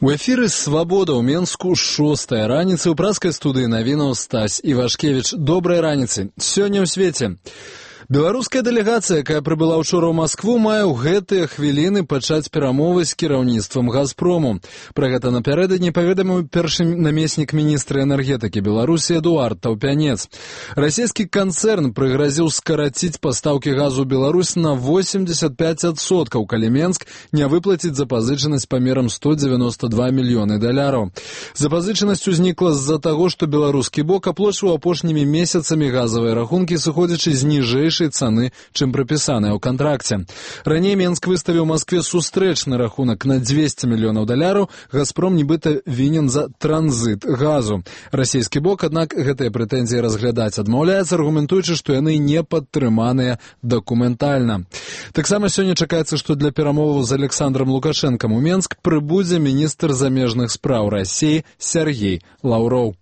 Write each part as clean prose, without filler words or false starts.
У эфіры «Свабода» ў Менску 6-я раніцы. У праскай студыі навінаў Стась Івашкевіч. Добрай раніцы. Сёння ў свеце. Беларуская дэлегацыя, якая прыбыла ўчора ў Маскву, мае ў гэтыя хвіліны пачаць перамовы з кіраўніцтвам «Газпрому». Пра гэта напярэдадні паведаміў першы намеснік міністра энергетыкі Беларусі Эдуард Таўпянец. Расійскі канцэрн прыгразіў скараціць пастаўкі газу ў Беларусь на 85%, калі Менск не выплаціць запазычанасць памерам $192 мільёны. Запазычанасць узнікла з-за таго, што беларускі бок аплачваў апошнімі месяцамі газавыя рахункі, сыходзячы з ніжэйшай цаны, чым прапісаная ў кантракце. Раней Менск выставіў Маскве сустрэчны рахунак на $200 мільёнаў. «Газпром» нібыта вінен за транзыт газу. Расійскі бок, аднак, гэтыя прэтэнзіі разглядаць адмаўляецца, аргументуючы, што яны не падтрыманыя дакументальна. Таксама сёння чакаецца, што для перамоваў з Александром Лукашэнкам у Менск прыбудзе міністр замежных спраў Расіі Сергей Лаўроў.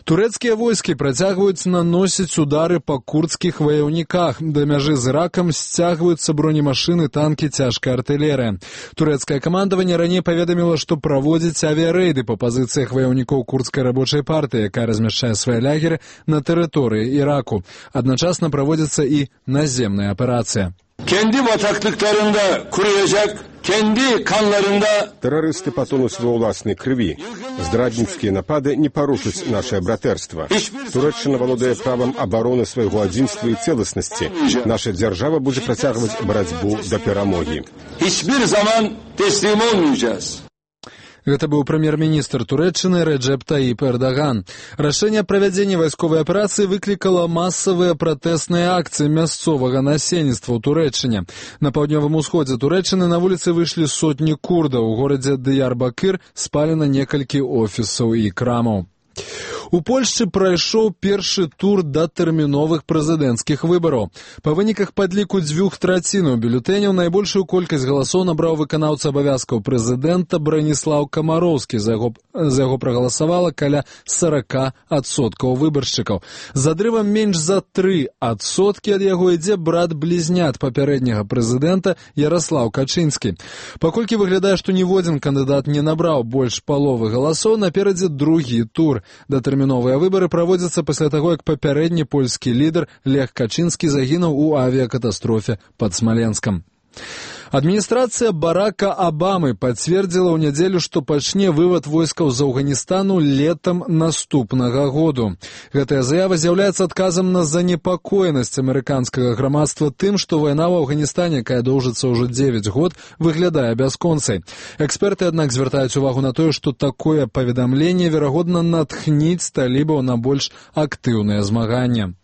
Турэцкія войскі працягваюць наносіць удары па курдскіх ваяўніках. Да мяжы з Іракам сцягваюцца бронемашыны, танкі, цяжкая артылерыя. Турэцкае камандаванне раней паведаміла, што праводзіць авіярэйды па пазіцыях ваяўнікоў курдскай рабочай партыі, якая размяшчае свае лягеры на тэрыторыі Іраку. Адначасна праводзіцца і наземная аперацыя. Kendi bataklıklarında kuruyacak, kendi kanlarında... Террористы потонут во ўласнай крыві. Здрадніцкія напады не парушаць наше братэрства. Турэччына валодае правам абароны свайго адзінства і цэласнасці. Наша дзяржава будзе працягваць барацьбу да перамогі. Hiçbir zaman teslim olmayacağız. Гэта быў прэм'ер-міністр Турэччыны Рэджэп Таіп Эрдаган. Рашэнне правядзення вайсковай аперацыі выклікала масавыя пратэсныя акцыі мясцовага насельніцтва ў Турэччыне. На паўднёвым усходзе Турэччыны на вуліцы выйшлі сотні курдаў. У горадзе Дыярбакыр спалена некалькі офісаў і крамаў. У Польшчы прайшоў першы тур датэрміновых прэзідэнцкіх выбараў. Па выніках падліку 2/3 бюлетэняў найбольшую колькасць галасоў набраў выканаўца абавязкаў прэзідэнта Браніслаў Камароўскі. За яго прагаласавала каля 40% выбаршчыкаў. З адрывам менш за 3% ад яго ідзе брат-блізнят папярэдняга прэзідэнта Яраслаў Качынскі. Паколькі выглядае, што ніводзін кандыдат не набраў больш паловы галасоў, наперадзе другі тур. Датэрміновыя выбары праводзяцца пасля таго, як папярэдні польскі лідар Лех Качынскі загінуў у авіякатастрофе пад Смаленскам. Адміністрацыя Барака Абамы пацвердзіла ў нядзелю, што пачне вывад войскаў з Афганістану летам наступнага году. Гэтая заява з'яўляецца адказам на занепакоенасць амерыканскага грамадства тым, што вайна ў Афганістане, якая доўжыцца ўжо 9 год, выглядае бясконцай. Эксперты, аднак, звяртаюць увагу на тое, што такое паведамленне, верагодна, натхніць талібаў на больш актыўнае змаганне.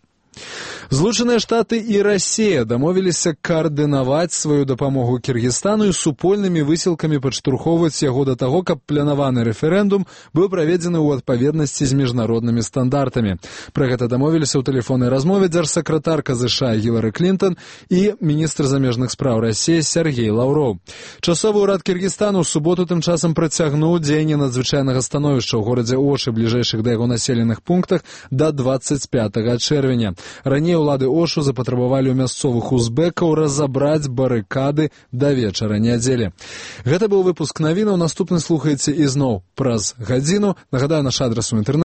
Злучаныя Штаты і Расія дамовіліся каардынаваць сваю дапамогу Кіргізстану і супольнымі высілкамі падштурхоўваць яго да таго, каб планаваны рэферэндум быў праведзены ў адпаведнасці з міжнароднымі стандартамі. Пра гэта дамовіліся ў тэлефоннай размове дзяржсакратарка США Гілары Клінтон і міністр замежных спраў Расіі Сергей Лаўроў. Часовы ўрад Кіргізстану ў суботу тым часам працягнуў дзеянне надзвычайнага становішча ў горадзе Ошы, бліжэйшых да яго населеных пунктах, да 25 чэрвеня. Раней улады Ошу запатрабавалі ў мясцовых узбекаў разабраць барыкады да вечара нядзелі. Гэта быў выпуск навінаў. Наступны слухаеце ізноў праз гадзіну. Нагадаю, наш адрас у інтэрнэце